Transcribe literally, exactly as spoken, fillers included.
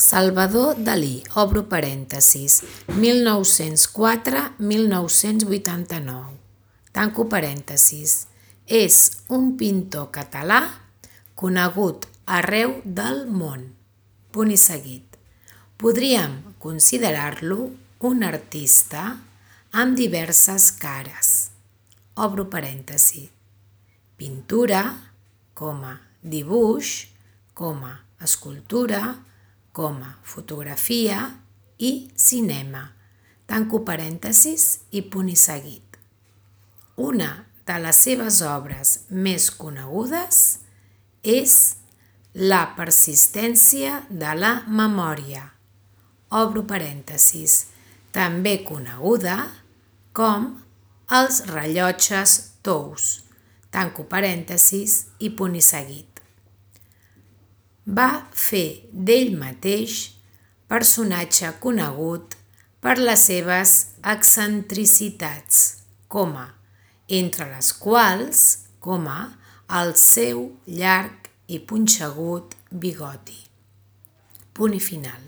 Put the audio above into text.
Salvador Dalí, obro parèntesis, mil nou-cents quatre a mil nou-cents vuitanta-nou, tanco parèntesis, és un pintor català conegut arreu del món, punt i seguit. Podríem considerar-lo un artista amb diverses cares, obro parèntesi, pintura, coma, dibuix, coma, escultura, coma, fotografia i cinema, tanco parèntesis i punt i seguit. Una de les seves obres més conegudes és La persistència de la memòria, obro parèntesis, també coneguda com Els rellotges tous, tanco parèntesis i punt i seguit. Va fer d'ell mateix personatge conegut per les seves excentricitats, coma, entre les quals, coma, el seu llarg i punxegut bigoti. Punt i final.